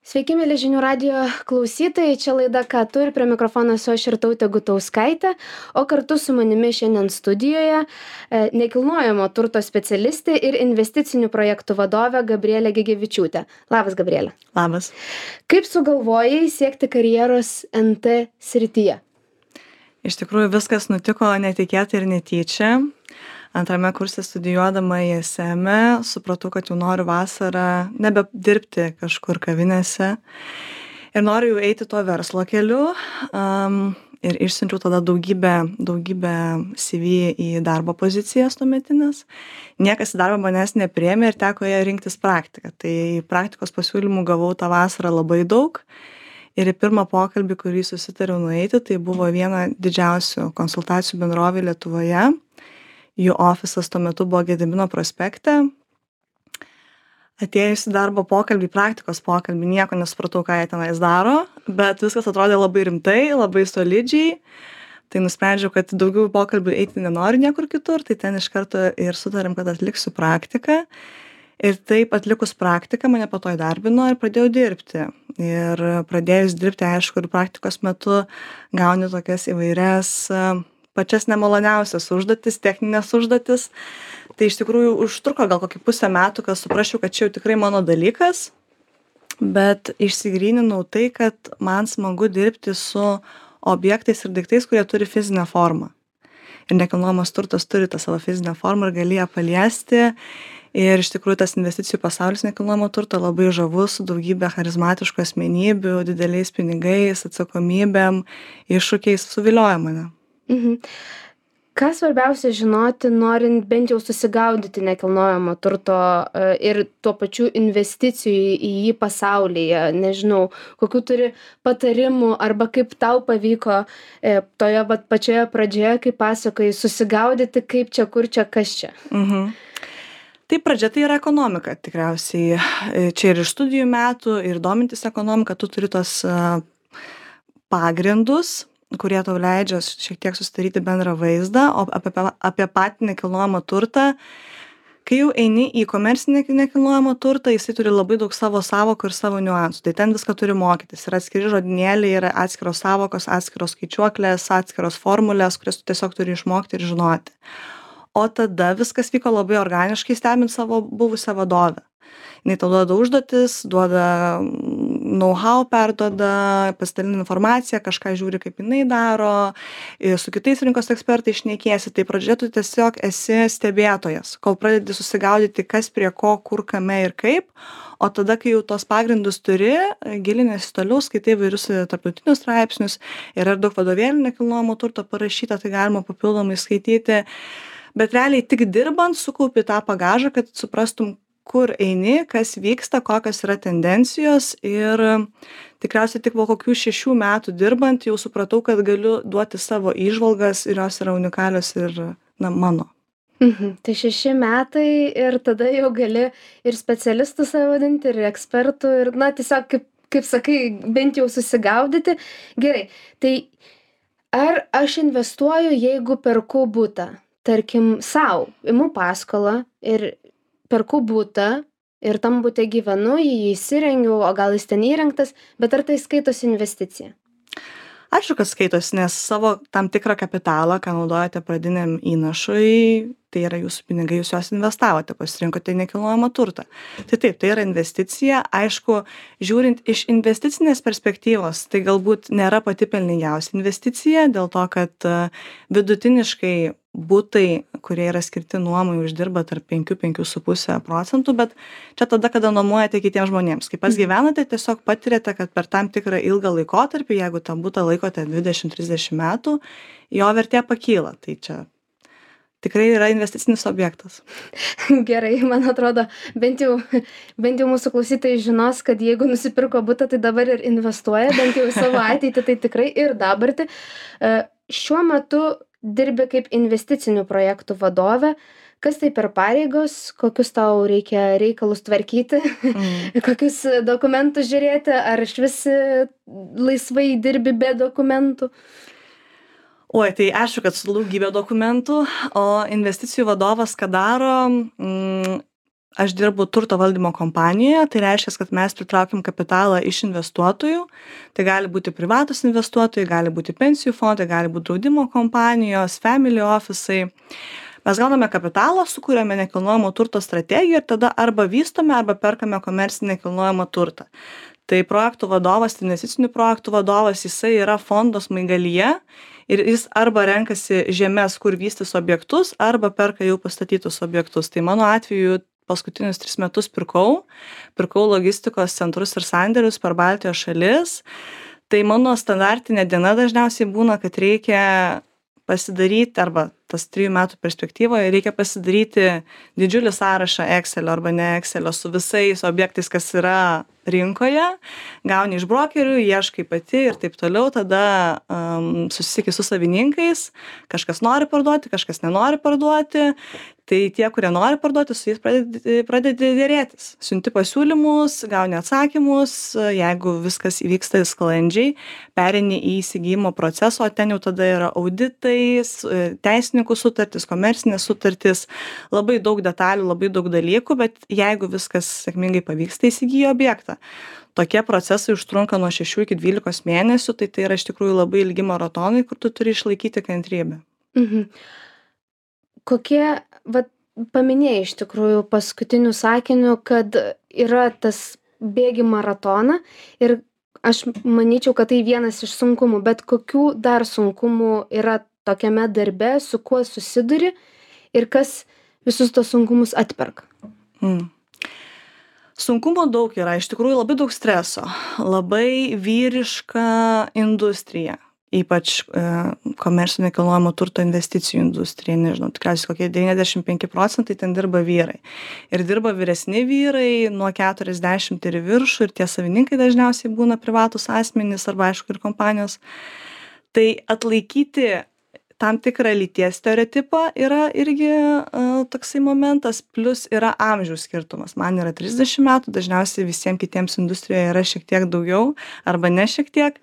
Sveiki, mėly žinių radijo klausytojai, čia laida Ką tu ir prie mikrofono esu aš Irtautė Gutauskaitė, o kartu su manimi šiandien studijoje nekilnojamo turto specialistė ir investicinių projektų vadovė Gabrielė Gegevičiūtė. Labas, Gabrielė. Labas. Kaip sugalvojai siekti karjeros NT srityje? Iš tikrųjų viskas nutiko netikėtai ir netyčia. Antrame kurse studijuodama ISM supratau, kad jau noriu vasarą nebedirbti kažkur kavinėse ir noriu jau eiti to verslo keliu. Ir išsiunčiau tada daugybę CV į darbo pozicijas tuometinės. Niekas į darbą manęs nepriėmė ir teko ją rinktis praktiką. Tai praktikos pasiūlymų gavau tą vasarą labai daug. Ir į pirmą pokalbį, kurį susitariau nueiti, tai buvo viena didžiausių konsultacijų bendrovė Lietuvoje. Jų ofisas tuo metu buvo Gedimino prospekte. Atėjus į darbo pokalbį, praktikos pokalbį, nieko nesupratau, ką jie tenais daro, bet viskas atrodė labai rimtai, labai solidžiai. Tai nusprendžiau, kad daugiau pokalbių eiti nenoriu niekur kitur, tai ten iš karto ir sutarėm, kad atliksiu praktiką. Ir taip atlikus praktiką mane po to įdarbino ir pradėjau dirbti. Ir pradėjus dirbti, aišku, ir praktikos metu gauni tokias įvairias pačias nemaloniausias užduotis, techninės užduotis. Tai iš tikrųjų užtruko gal kokį pusę metų, kad suprasčiau, kad čia jau tikrai mano dalykas, bet išsigryninau tai, kad man smagu dirbti su objektais ir daiktais, kurie turi fizinę formą. Ir nekilnojamas turtas turi tą savo fizinę formą ir gali ją paliesti. Ir iš tikrųjų tas investicijų pasaulis nekilnojamo turto labai žavus, su daugybė charizmatiškų asmenybių, dideliais pinigais, atsakomybėm, iššūkiais suvilioja mane. Ką svarbiausia žinoti, norint bent jau susigaudyti nekilnojamo turto ir tuo pačiu investicijų į jį pasaulyje? Nežinau, kokių turi patarimų arba kaip tau pavyko toje pačioje pradžioje, kaip pasakoji, susigaudyti, kaip čia, kur čia, kas čia? Tai pradžia tai yra ekonomika tikriausiai. Čia ir iš studijų metų, ir domintis ekonomika, tu turi tos pagrindus, kurie tau leidžia šiek tiek susidaryti bendrą vaizdą, o apie patį nekilnojamą turtą, kai jau eini į komercinį nekilnojamą turtą, jisai turi labai daug savo sąvokų ir savo niuansų. Tai ten viską turi mokytis. Yra atskiri žodynėliai, yra atskiros sąvokos, atskiros skaičiuoklės, atskiros formulės, kurias tu tiesiog turi išmokti ir žinoti. O tada viskas vyko labai organiškai, stebint savo buvusią vadovę. Jinai tau duoda užduotis, duoda know-how, perduoda, pasidalina informaciją, kažką žiūri, kaip jinai daro, su kitais rinkos ekspertais šnekiesi. Tai pradžioje tu tiesiog esi stebėtojas, kol pradedi susigaudyti, kas prie ko, kur, kame ir kaip. O tada, kai jau tos pagrindus turi, gilinėsi toliau, skaitai vairius tarptautinius straipsnius, yra daug vadovėlių nekilnojamo turto parašyta, tai galima papildomai skaityti. Bet realiai tik dirbant sukaupi tą bagažą, kad suprastum, kur eini, kas vyksta, kokios yra tendencijos, ir tikriausiai tik po kokių 6 metų dirbant jau supratau, kad galiu duoti savo įžvalgas ir jos yra unikalios ir mano. Tai 6 metai ir tada jau gali ir specialistų save vadinti, ir ekspertų, ir tiesiog, kaip sakai, bent jau susigaudyti. Gerai, tai ar aš investuoju, jeigu perku butą? Tarkim, sau, imu paskolą ir perku butą ir tam bute gyvenu, jį įsirengiu, o gal jis ten įrengtas, bet ar tai skaitosi investicija? Aišku, kad skaitosi, nes savo tam tikrą kapitalą, ką naudojate pradiniam įnašui, tai yra jūsų pinigai, jūs juos investavote, pasirinkote nekilnojamą turtą. Tai taip, tai yra investicija. Aišku, žiūrint iš investicinės perspektyvos, tai galbūt nėra pati pelningiausia investicija, dėl to, kad vidutiniškai butai, kurie yra skirti nuomai, uždirba tarp 5–5,5%, bet čia tada, kada nuomojate kitiems žmonėms. Kai pas gyvenate, tiesiog patiriate, kad per tam tikrą ilgą laikotarpį, jeigu tą butą laikote 20–30 metų, jo vertė pakyla. Tai čia tikrai yra investicinis objektas. Gerai, man atrodo, bent jau mūsų klausytojai žinos, kad jeigu nusipirko butą, tai dabar ir investuoja, bent jau į savo ateitį, tai tikrai ir dabartį. Šiuo metu dirbi kaip investicinių projektų vadovė. Kas tai per pareigos, kokius tau reikia reikalus tvarkyti, kokius dokumentus žiūrėti, ar išvis laisvai dirbi be dokumentų? Oi, tai aišku, kad su daugybė dokumentų, o investicijų vadovas ką daro, aš dirbu turto valdymo kompanijoje, tai reiškia, kad mes pritraukiam kapitalą iš investuotojų. Tai gali būti privatus investuotojai, gali būti pensijų fondai, gali būti draudimo kompanijos, family office'ai. Mes gauname kapitalą, sukūrėme nekilnojamo turto strategiją ir tada arba vystome, arba perkame komercinį nekilnojamą turtą. Tai projektų vadovas, investicinių projektų vadovas, jisai yra fondo smaigalyje ir jis arba renkasi žemes, kur vystys objektus, arba perka jau pastatytus objektus. Tai mano atveju paskutinius 3 metus pirkau logistikos centrus ir sandėlius per Baltijos šalis. Tai mano standartinė diena dažniausiai būna, kad reikia pasidaryti, arba tas 3 metų perspektyvoje reikia pasidaryti didžiulį sąrašą Excelio arba ne Excelio su visais objektais, kas yra rinkoje, gauni iš brokerių, ieškai pati ir taip toliau, tada susisieki su savininkais, kažkas nori parduoti, kažkas nenori parduoti, tai tie, kurie nori parduoti, su jais pradedi dėrėtis. Siunti pasiūlymus, gauni atsakymus, jeigu viskas įvyksta sklandžiai, pereini į įsigijimo procesą, o ten jau tada yra auditai, teisininkų sutartys, komercinės sutartys, labai daug detalių, labai daug dalykų, bet jeigu viskas sėkmingai pavyksta, įsigyji objektą. Tokie procesai užtrunka nuo 6 iki 12 mėnesių, tai yra iš tikrųjų labai ilgi maratonai, kur tu turi išlaikyti kantrybę. Kokie, paminėjai iš tikrųjų paskutiniu sakiniu, kad yra tas bėgi maratoną ir aš manyčiau, kad tai vienas iš sunkumų, bet kokių dar sunkumų yra tokiame darbe, su kuo susiduri ir kas visus tos sunkumus atperka? Sunkumų daug yra, iš tikrųjų labai daug streso, labai vyriška industrija, ypač komercinio nekilnojamo turto investicijų industrija, nežinau, tikriausiai kokie 95% ten dirba vyrai. Ir dirba vyresni vyrai nuo 40 ir viršų, ir tie savininkai dažniausiai būna privatus asmenys arba aišku ir kompanijos. Tai atlaikyti tam tikrą lyties stereotipą yra irgi toksai momentas, plus yra amžiaus skirtumas. Man yra 30 metų, dažniausiai visiems kitiems industrijoje yra šiek tiek daugiau arba ne šiek tiek.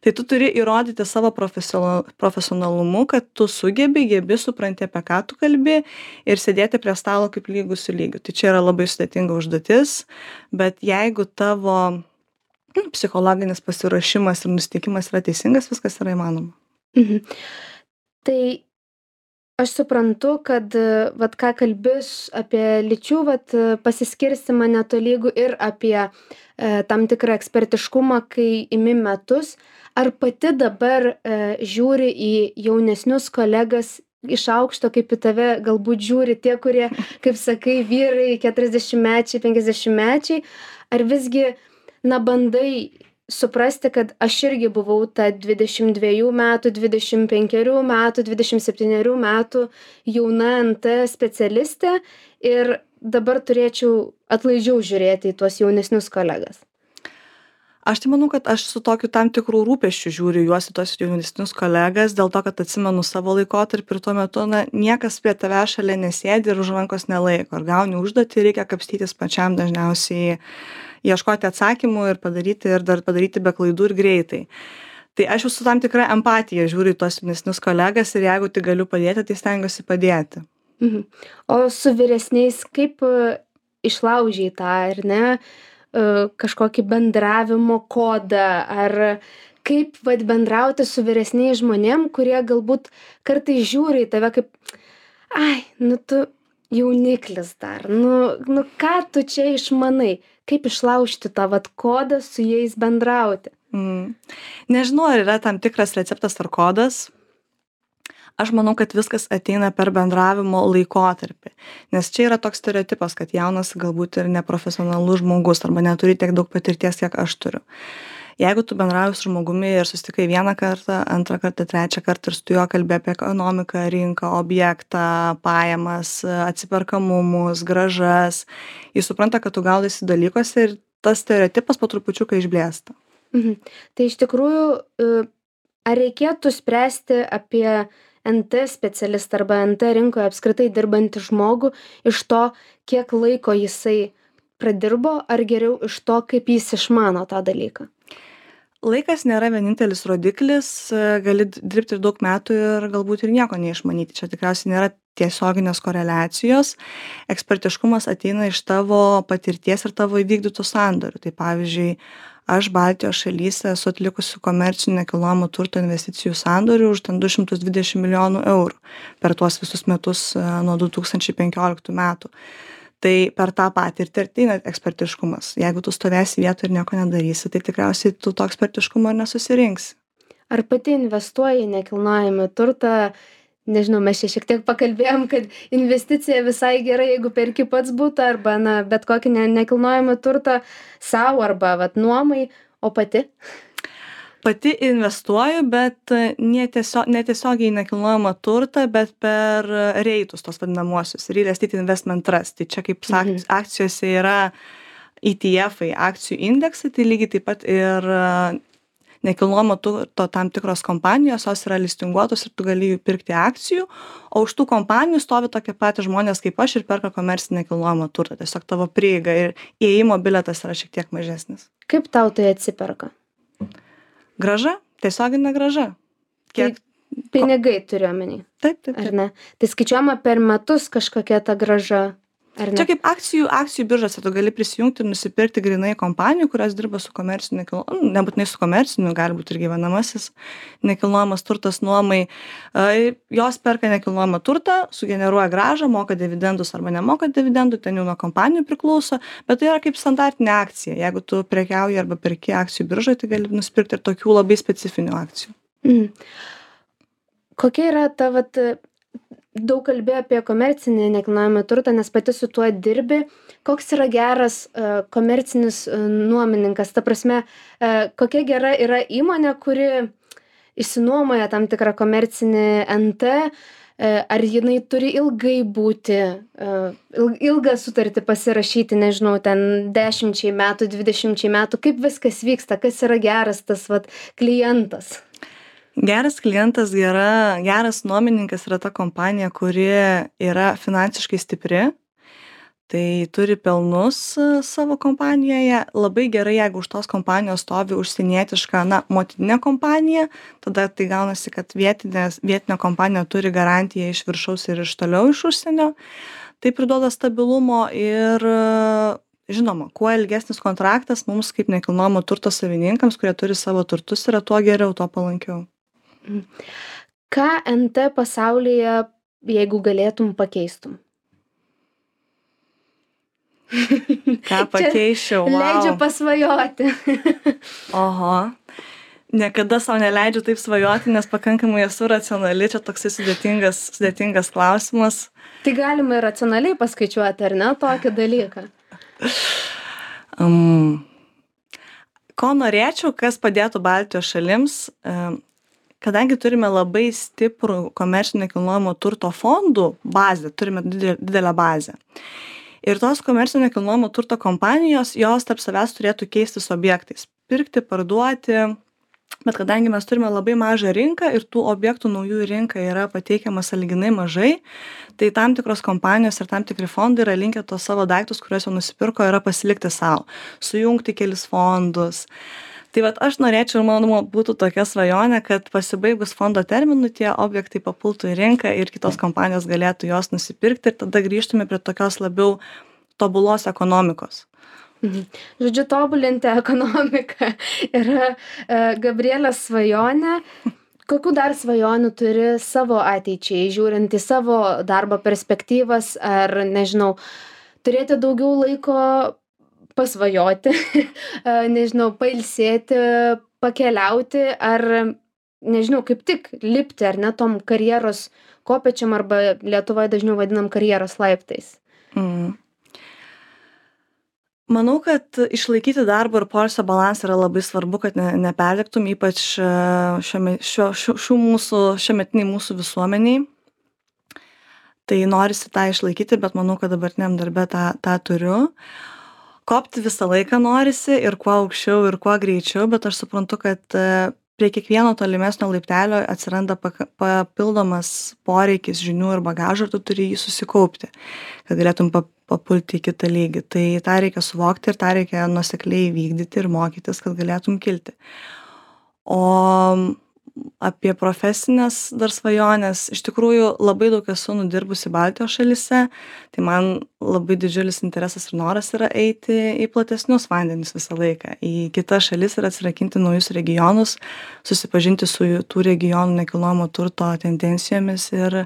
Tai tu turi įrodyti savo profesionalumu, kad tu gebi, supranti, apie ką tu kalbi ir sėdėti prie stalo kaip lygus su lygiu. Tai čia yra labai sudėtinga užduotis, bet jeigu tavo psichologinis pasiruošimas ir nusiteikimas yra teisingas, viskas yra įmanoma. Tai aš suprantu, kad ką kalbis apie lyčių pasiskirstimą netolygų ir apie tam tikrą ekspertiškumą, kai imi metus. Ar pati dabar žiūri į jaunesnius kolegas iš aukšto, kaip į tave galbūt žiūri tie, kurie, kaip sakai, vyrai 40-mečiai, 50-mečiai, ar visgi, bandai suprasti, kad aš irgi buvau ta 22 metų, 25 metų, 27 metų jauna NT specialistė ir dabar turėčiau atlaidžiau žiūrėti į tuos jaunesnius kolegas? Aš tai manau, kad aš su tokiu tam tikrų rūpesčių žiūriu juos į tos jaunesnius kolegas, dėl to, kad atsimenu savo laikotarpį ir tuo metu niekas prie tave šalia nesėdi ir už rankos nelaiko. Ir gauni užduotį, reikia kapstytis pačiam dažniausiai, ieškoti atsakymų ir dar padaryti be klaidų ir greitai. Tai aš jau su tam tikra empatija žiūriu į tos jaunesnius kolegas ir jeigu tik galiu padėti, tai stengiuosi padėti. O su vyresniais kaip išlaužiai tą, ar ne, kažkokį bendravimo kodą, ar kaip bendrauti su vyresniais žmonėm, kurie galbūt kartais žiūri į tave kaip, tu jauniklis dar, ką tu čia išmanai, kaip išlaužti tą kodą su jais bendrauti? Nežinau, ar yra tam tikras receptas ar kodas. Aš manau, kad viskas ateina per bendravimo laikotarpį, nes čia yra toks stereotipas, kad jaunas galbūt ir neprofesionalus žmogus arba neturi tiek daug patirties, kiek aš turiu. Jeigu tu bendrauji su žmogumi ir susitikai vieną kartą, antrą kartą, trečią kartą ir su juo kalbė apie ekonomiką, rinką, objektą, pajamas, atsiperkamumus, grąžas, jis supranta, kad tu gaudaisi dalykuose ir tas stereotipas po trupučiuką išblėsta. Tai iš tikrųjų, ar reikėtų spręsti apie NT specialistą arba NT rinkoje apskritai dirbantį žmogų iš to, kiek laiko jisai pradirbo, ar geriau iš to, kaip jis išmano tą dalyką? laikas nėra vienintelis rodiklis, gali dirbti ir daug metų ir galbūt ir nieko neišmanyti. Čia tikriausiai nėra tiesioginės koreliacijos. Ekspertiškumas ateina iš tavo patirties ir tavo įvykdytų sandorių. Tai pavyzdžiui, aš Baltijos šalyse esu atlikusi komercinių nekilnojamo turto investicijų sandorių už ten 220 milijonų eurų per tuos visus metus nuo 2015 metų. Tai per tą patirtį ir ateina ekspertiškumas. Jeigu tu stovėsi vietoje ir nieko nedarysi, tai tikriausiai tu to ekspertiškumo ir nesusirinksi. Ar pati investuoji į nekilnojamą turtą? Nežinau, mes čia šiek tiek pakalbėjom, kad investicija visai gerai, jeigu perki pats butą arba bet kokį nekilnojamą turtą savo arba nuomai, o pati? Pati investuoju, bet netiesiogiai į nekilnojamą turtą, bet per reitus, tos vadinamuosius, Real Estate Investment Trust. Tai čia kaip akcijose yra ETF-ai, akcijų indeksai, tai lygiai taip pat ir nekilnojamo turto tam tikros kompanijos, jos yra listinguotos ir tu gali jų pirkti akcijų, o už tų kompanijų stovi tokie patys žmonės kaip aš ir perka komercinį nekilnojamą turtą. Tiesiog tavo prieiga ir įėjimo bilietas yra šiek tiek mažesnis. Kaip tau tai atsiperka? Grąža, tiesioginė grąža. Kiek pinigai turiu omeny. Taip. Ar ne? Tai skaičiuojama per metus kažkokia ta grąža. Čia kaip akcijų biržose tu gali prisijungti ir nusipirkti grynai kompanijų, kurios dirba su komerciniu nekilnojamu, nebūtinai su komerciniu, gali būti ir gyvenamasis nekilnojamas turtas nuomai. Jos perka nekilnojamą turtą, sugeneruoja grąžą, moka dividendus arba nemoka dividendų, ten jau nuo kompanijų priklauso, bet tai yra kaip standartinė akcija. Jeigu tu prekiauji arba perki akcijų biržoje, tai gali nusipirkti ir tokių labai specifinių akcijų. Kokia yra ta daug kalbėjau apie komercinį nekilnojamą turtą, nes pati su tuo dirbi. Koks yra geras komercinis nuomininkas? Ta prasme, kokia gera yra įmonė, kuri išsinuomoja tam tikrą komercinį NT, ar jinai turi ilgai būti, ilgą sutartį pasirašyti, nežinau, ten 10 metų, 20 metų, kaip viskas vyksta, kas yra geras tas klientas? Geras klientas, geras nuomininkas yra ta kompanija, kuri yra finansiškai stipri, tai turi pelnus savo kompanijoje. Labai gerai, jeigu už tos kompanijos stovi užsienietiška, motininė kompanija, tada tai gaunasi, kad vietinė kompanija turi garantiją iš viršaus ir iš toliau iš užsienio. Tai priduoda stabilumo ir žinoma, kuo ilgesnis kontraktas mums kaip nekilnojamo turto savininkams, kurie turi savo turtus, yra tuo geriau, tuo palankiau. Ką NT pasaulyje, jeigu galėtum, pakeistum? Ką pakeičiau? Wow. Leidžiu pasvajoti. Oho. Niekada savo neleidžiu taip svajoti, nes pakankamai esu racionali, čia toksai sudėtingas klausimas. Tai galima ir racionaliai paskaičiuoti, ar ne, tokį dalyką? Ko norėčiau, kas padėtų Baltijos šalims, kadangi turime labai stiprų komercinio nekilnojamo turto fondų bazę, turime didelę bazę. Ir tos komercinio nekilnojamo turto kompanijos, jos tarp savęs turėtų keistis objektais. Pirkti, parduoti, bet kadangi mes turime labai mažą rinką ir tų objektų naujų į rinką yra pateikiama sąlyginai mažai, tai tam tikros kompanijos ir tam tikri fondai yra linkę tos savo daiktus, kuriuos jau nusipirko, yra pasilikti savo, sujungti kelis fondus. Tai aš norėčiau, ir mano būtų tokia svajonė, kad pasibaigus fondo terminų tie objektai papultų į rinką ir kitos kompanijos galėtų jos nusipirkti ir tada grįžtume prie tokios labiau tobulos ekonomikos. Žodžiu, tobulinti ekonomiką yra Gabrielės svajonė. Kokių dar svajonių turi savo ateičiai, žiūrint į savo darbo perspektyvas, ar, nežinau, turėti daugiau laiko pasvajoti, nežinau, pailsėti, pakeliauti, ar, nežinau, kaip tik lipti, ar ne, tom karjeros kopečiam, arba Lietuvoje dažniau vadinam karjeros laiptais? Manau, kad išlaikyti darbo ir poilsio balansą yra labai svarbu, kad neperdegtum, ypač šiuometiniai mūsų visuomeniai. Tai norisi tą išlaikyti, bet manau, kad dabartiniam darbe tą turiu. Kopti visą laiką norisi ir kuo aukščiau ir kuo greičiau, bet aš suprantu, kad prie kiekvieno tolimesnio laiptelio atsiranda papildomas poreikis žinių ir bagažo ir tu turi jį susikaupti, kad galėtum papulti į kitą lygį. Tai tą reikia suvokti ir tą reikia nuosekliai vykdyti ir mokytis, kad galėtum kilti. O apie profesines dar svajones, iš tikrųjų labai daug esu nudirbusi Baltijos šalyse, tai man labai didžiulis interesas ir noras yra eiti į platesnius vandenis visą laiką, į kitas šalis ir atsirakinti naujus regionus, susipažinti su tų regionų nekilnojamo turto tendencijomis ir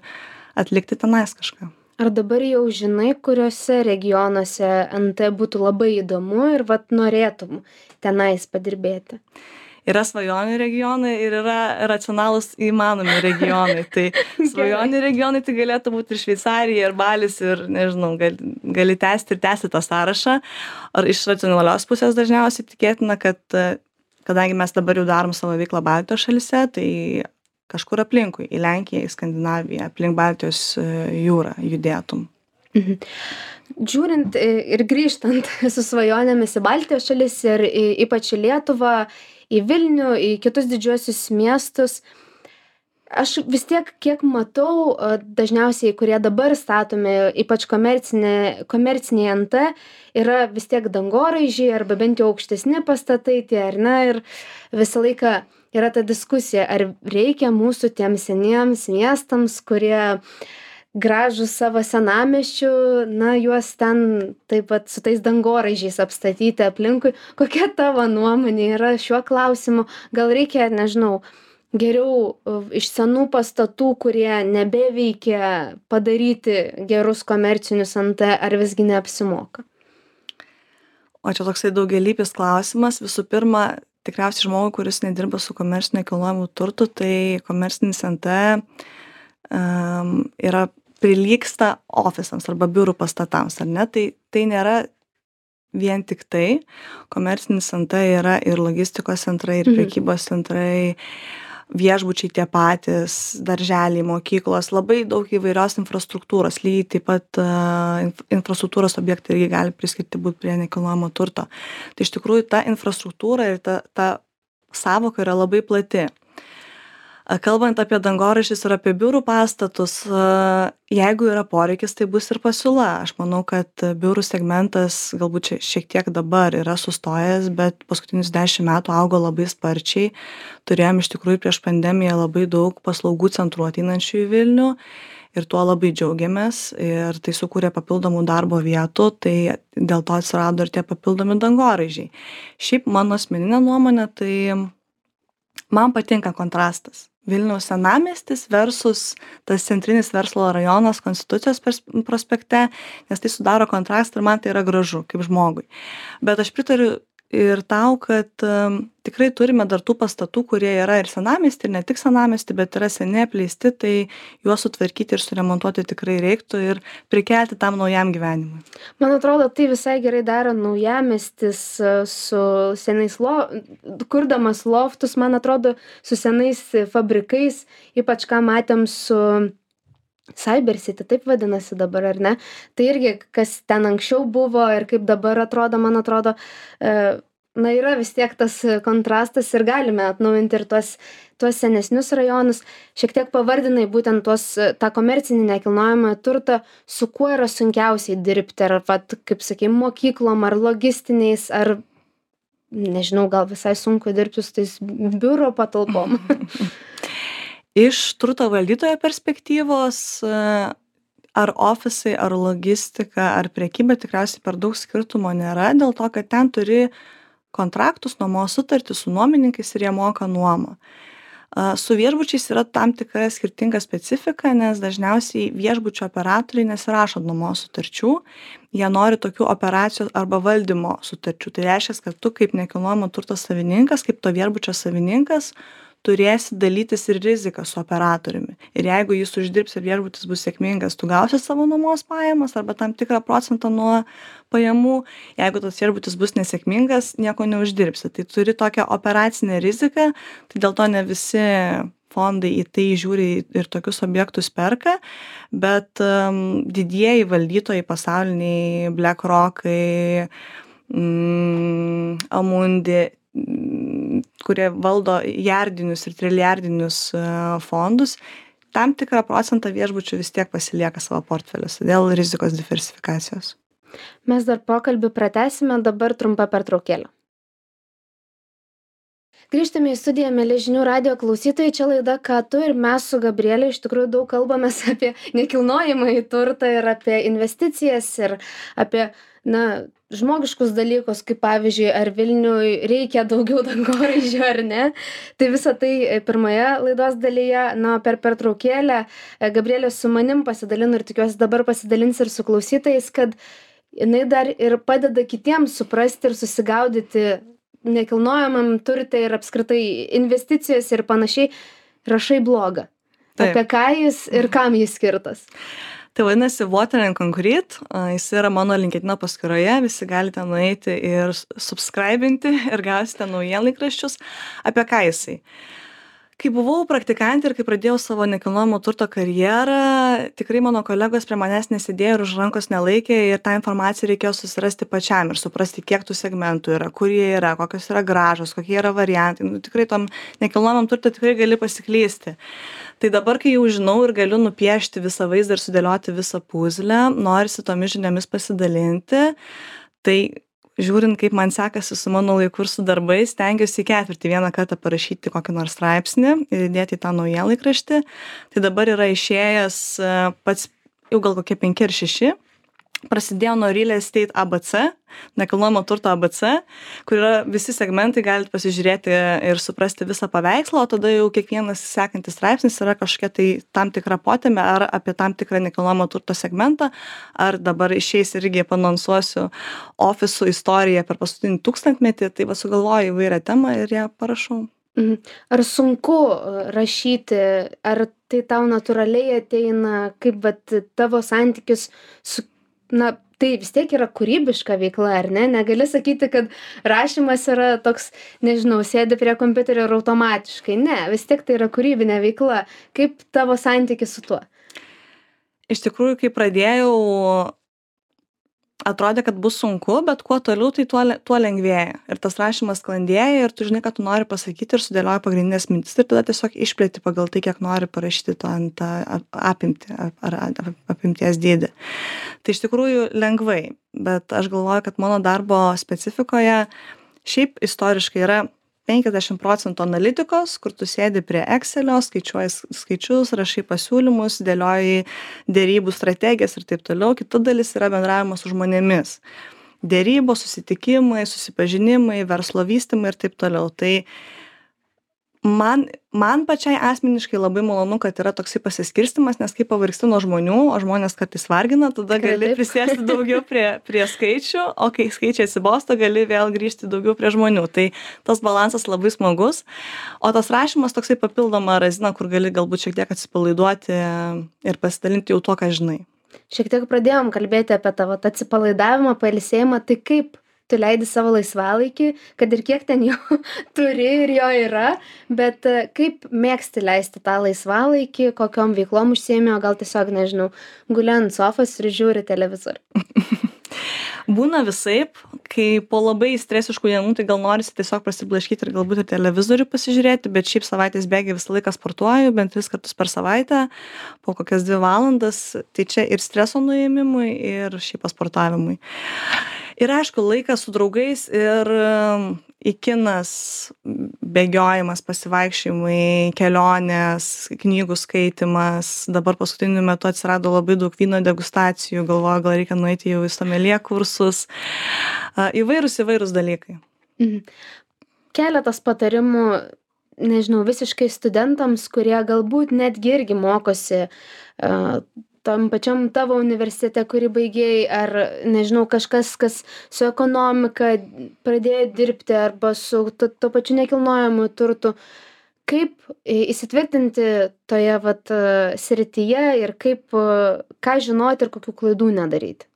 atlikti tenais kažką. Ar dabar jau žinai, kuriuose regionuose NT būtų labai įdomu ir vat norėtum tenais padirbėti? Yra svajonių regionai ir yra racionalūs įmanomi regionai. Tai svajonių regionai tai galėtų būti ir Šveicarija, ir Balis, ir nežinau, gali tęsti tą sąrašą. Ar iš racionalios pusės dažniausiai tikėtina, kad kadangi mes dabar jau darom savo veiklą Baltijos šalyse, tai kažkur aplinkui, į Lenkiją, į Skandinaviją, aplink Baltijos jūrą judėtum. Mhm. Žiūrint ir grįžtant su svajonėmis į Baltijos šalis ir ypač į Lietuvą, į Vilnių, į kitus didžiuosius miestus, aš vis tiek, kiek matau, dažniausiai, kurie dabar statomi, ypač komerciniai NT, yra vis tiek dangoraižiai arba bent jau aukštesni pastatai tie, ar ne, ir visą laiką yra ta diskusija, ar reikia mūsų tiems seniems miestams, kurie gražūs savo senamiesčių, na, juos ten taip pat su tais dangoraižiais apstatyti aplinkui. Kokia tavo nuomonė yra šiuo klausimu? Gal reikia, nežinau, geriau iš senų pastatų, kurie nebeveikia, padaryti gerus komercinius NT, ar visgi neapsimoka? O čia toksai daugialypis klausimas. Visų pirma, tikriausiai žmogui, kuris nedirba su komerciniu nekilnojamu turtu, tai komercinis NT yra prilygsta ofisams arba biurų pastatams, ar ne? Tai nėra vien tik tai. Komercinis NT yra ir logistikos centrai, ir prekybos centrai, viešbučiai tie patys, darželiai, mokyklos, labai daug įvairios infrastruktūros, lygiai taip pat infrastruktūros objektai irgi gali priskirti būti prie nekilnojamo turto. Tai iš tikrųjų ta infrastruktūra ir ta sąvoka yra labai plati. Kalbant apie dangoraižius ir apie biurų pastatus, jeigu yra poreikis, tai bus ir pasiūla. Aš manau, kad biurų segmentas galbūt šiek tiek dabar yra sustojęs, bet paskutinius 10 metų augo labai sparčiai. Turėjom iš tikrųjų prieš pandemiją labai daug paslaugų centrų ateinančių į Vilnių ir tuo labai džiaugiamės ir tai sukūrė papildomų darbo vietų, tai dėl to atsirado ir tie papildomi dangoraižiai. Šiaip mano asmeninė nuomonė, tai man patinka kontrastas. Vilniaus senamiestis versus tas centrinis verslo rajonas Konstitucijos prospekte, nes tai sudaro kontrastą ir man tai yra gražu kaip žmogui. Bet aš pritariu ir tau, kad tikrai turime dar tų pastatų, kurie yra ir senamiesty, ir ne tik senamiesty, bet yra seniai apleisti, tai juos sutvarkyti ir suremontuoti tikrai reiktų ir prikelti tam naujam gyvenimui. Man atrodo, tai visai gerai daro naujamiestis su senais kurdamas loftus, man atrodo, su senais fabrikais, ypač ką matėm su Cyber City, taip vadinasi dabar, ar ne? Tai irgi, kas ten anksčiau buvo ir kaip dabar atrodo, man atrodo, na, yra vis tiek tas kontrastas ir galime atnaujinti ir tuos senesnius rajonus. Šiek tiek pavardinai būtent tą komercinį nekilnojamą turtą, su kuo yra sunkiausiai dirbti, ar, kaip sakei, mokyklom, ar logistiniais, ar, nežinau, gal visai sunku dirbti su tais biuro patalpom. Iš turto valdytojo perspektyvos, ar ofisai, ar logistika, ar prekyba tikriausiai per daug skirtumo nėra, dėl to, kad ten turi kontraktus, nuomos sutartį su nuomininkais ir jie moka nuomą. Su viešbučiais yra tam tikra skirtinga specifika, nes dažniausiai viešbučio operatoriai nesirašo nuomos sutarčių, jie nori tokių operacijų arba valdymo sutarčių. Tai reiškia, kad tu kaip nekilnojamo turto savininkas, kaip to viešbučio savininkas, turėsi dalytis ir riziką su operatoriumi. Ir jeigu jis uždirbs ir viešbutis bus sėkmingas, tu gausi savo nuomos pajamas arba tam tikrą procentą nuo pajamų. Jeigu tas viešbutis bus nesėkmingas, nieko neuždirbsi. Tai turi tokią operacinę riziką, tai dėl to ne visi fondai į tai žiūri ir tokius objektus perka, bet didieji valdytojai pasauliniai, BlackRockai, Amundi, kurie valdo jardinius ir trilijardinius fondus, tam tikrą procentą viešbučių vis tiek pasilieka savo portfeliuose dėl rizikos diversifikacijos. Mes dar pokalbį pratęsime, dabar trumpa pertraukėlė. Grįžtame į studiją, mėly žinių radijo klausytojai, čia laida Ką tu ir mes su Gabrielė iš tikrųjų daug kalbamės apie nekilnojamąjį turtą ir apie investicijas ir apie, žmogiškus dalykus, kaip pavyzdžiui, ar Vilniui reikia daugiau dangoraižių ar ne. Tai visą tai pirmoje laidos dalyje, per pertraukėlę Gabrielė su manim pasidalino ir tikiuosi dabar pasidalins ir su klausytojais, kad jinai dar ir padeda kitiems suprasti ir susigaudyti nekilnojamam turte ir apskritai investicijose ir panašiai, rašai blogą. Taip. Apie ką jis ir kam jis skirtas? Tai vadinasi Water and Concrete, jis yra mano LinkedIn paskyroje, visi galite nueiti ir subscribinti ir gausite naujienlaikraščius. Apie ką jisai? Kai buvau praktikantė ir kai pradėjau savo nekilnojamo turto karjerą, tikrai mano kolegos prie manęs nesėdėjo ir už rankos nelaikė ir tą informaciją reikėjo susirasti pačiam ir suprasti, kiek tų segmentų yra, kur jie yra, kokios yra grąžos, kokie yra variantai. Tikrai tom nekilnojamam turtui tikrai gali pasiklysti. Tai dabar, kai jau žinau ir galiu nupiešti visą vaizdą ir sudėlioti visą puzlę, norisi tomis žiniomis pasidalinti, tai žiūrint, kaip man sekasi su mano laiku ir su darbais, stengiuosi į ketvirtį vieną kartą parašyti kokį nors straipsnį ir įdėti į tą naujienlaikraštį. Tai dabar yra išėjęs pats jau gal kokie 5 ar 6. Prasidėjo nuo Real Estate ABC, nekilnojamo turto ABC, kur yra visi segmentai, galite pasižiūrėti ir suprasti visą paveikslą, o tada jau kiekvienas sekantis straipsnis yra kažkokia tai tam tikra potėmė ar apie tam tikrą nekilnojamo turto segmentą, ar dabar išeis irgi panonsuosiu ofisų istoriją per paskutinį 1000-metį, tai sugalvoju įvairią temą ir ją parašau. Ar sunku rašyti, ar tai tau natūraliai ateina, kaip tavo santykis su tai vis tiek yra kūrybiška veikla, ar ne? Negali sakyti, kad rašymas yra toks, nežinau, sėdi prie kompiuterio ir automatiškai. Ne, vis tiek tai yra kūrybinė veikla. Kaip tavo santykis su tuo? Iš tikrųjų, kai pradėjau, atrodė, kad bus sunku, bet kuo toliau, tai tuo lengvėja. Ir tas rašymas sklandėja ir tu žinai, ką tu nori pasakyti ir sudėlioji pagrindinės mintis ir tada tiesiog išplėti pagal tai, kiek nori parašyti tą apimtį ar apimties dydį. Tai iš tikrųjų lengvai, bet aš galvoju, kad mano darbo specifikoje šiaip istoriškai yra 50% analitikos, kur tu sėdi prie Excelio, skaičiuoji skaičius, rašai pasiūlymus, dėlioji dėrybų strategijas ir taip toliau. Kita dalis yra bendravimas su žmonėmis. Dėrybos, susitikimai, susipažinimai, verslo vystymai ir taip toliau. Tai man pačiai asmeniškai labai malonu, kad yra toksai pasiskirstimas, nes kai pavargsti nuo žmonių, o žmonės kartais vargina, tada gali prisėsti daugiau prie skaičių, o kai skaičiai atsibosta, gali vėl grįžti daugiau prie žmonių. Tai tas balansas labai smagus, o tas rašymas toksai papildoma razina, kur gali galbūt šiek tiek atsipalaiduoti ir pasidalinti jau tuo, ką žinai. Šiek tiek pradėjom kalbėti apie tavo atsipalaidavimą, pailsėjimą, tai kaip tu leidi savo laisvalaikį, kad ir kiek ten jo turi ir jo yra, bet kaip mėgsti leisti tą laisvalaikį, kokiom veiklom užsiėmė, o gal tiesiog, nežinau, guli ant sofos ir žiūri televizorių. Būna visaip, kai po labai stresiškų dienų, tai gal norisi tiesiog prasiblaškyti ir galbūt ir televizorių pasižiūrėti, bet šiaip savaitės bėgiai visą laiką sportuoju, bent 3 kartus per savaitę, po kokias 2 valandas, tai čia ir streso nuėmimui, ir šiaip pasportavimui. Ir aišku, laikas su draugais ir į kinas, bėgiojimas, pasivaikščiojimai, kelionės, knygų skaitimas. Dabar paskutiniu metu atsirado labai daug vyno degustacijų, galvoju, gal reikia nueiti jau į someljė kursus. Įvairūs dalykai. Keletas patarimų, nežinau, visiškai studentams, kurie galbūt netgi irgi mokosi tam pačiam tavo universitete, kurį baigėjai, ar, nežinau, kažkas, kas su ekonomika pradėjo dirbti arba su to pačiu nekilnojamu turtu. Kaip įsitvirtinti toje srityje ir ką žinoti ir kokių klaidų nedaryti?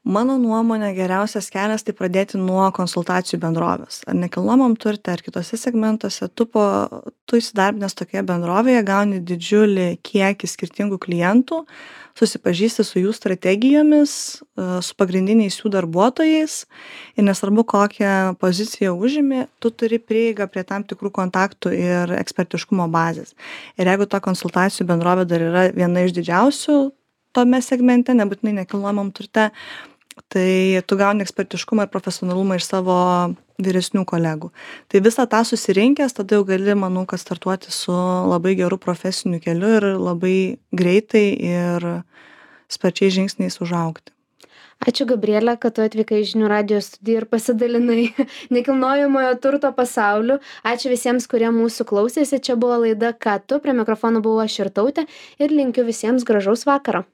Mano nuomonė geriausias kelias tai pradėti nuo konsultacijų bendrovės. Ar nekilnojamam turte, ar kitose segmentuose, tu įsidarbinęs tokioje bendrovėje gauni didžiulį kiekį skirtingų klientų, susipažįsti su jų strategijomis, su pagrindiniais jų darbuotojais ir nesvarbu, kokią poziciją užimi, tu turi prieigą prie tam tikrų kontaktų ir ekspertiškumo bazės. Ir jeigu ta konsultacijų bendrovė dar yra viena iš didžiausių tome segmente, nebūtinai nekilnojamam turte, tai tu gauni ekspertiškumą ir profesionalumą iš savo vyresnių kolegų. Tai visą tą susirinkęs, tada jau gali, manau, kad startuoti su labai geru profesiniu keliu ir labai greitai ir sparčiais žingsniais užaugti. Ačiū, Gabrielė, kad tu atvykai į Žinių radijo studiją ir pasidalinai nekilnojamojo turto pasauliu. Ačiū visiems, kurie mūsų klausėsi. Čia buvo laida Ką tu? Prie mikrofono buvau aš Irtautė ir linkiu visiems gražaus vakaro.